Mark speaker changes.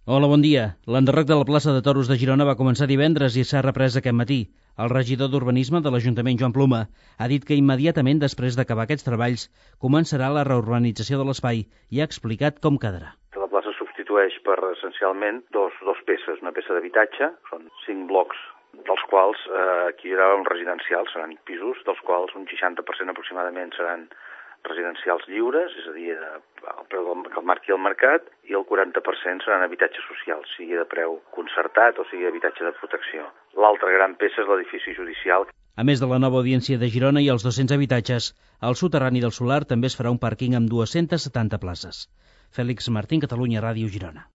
Speaker 1: Hola, bon dia. L'enderroc de la plaça de Toros de Girona va començar divendres i s'ha reprès aquest matí. El regidor d'Urbanisme de l'Ajuntament, Joan Pluma, ha dit que immediatament després d'acabar aquests treballs començarà la reurbanització de l'espai i ha explicat com quedarà.
Speaker 2: La plaça substitueix per essencialment dos peces. Una peça d'habitatge, són 5 blocs, dels quals aquí hi haurà un residencial, seran pisos, dels quals un 60% aproximadament seran residencials lliures, és a dir, al preu que el marqui el mercat, i el 40% seran habitatges socials, sigui de preu concertat o sigui habitatge de protecció. L'altra gran peça és l'edifici judicial.
Speaker 1: A més de la nova audiència de Girona i els 200 habitatges, al soterrani del Solar també es farà un pàrquing amb 270 places. Fèlix Martín, Catalunya Ràdio, Girona.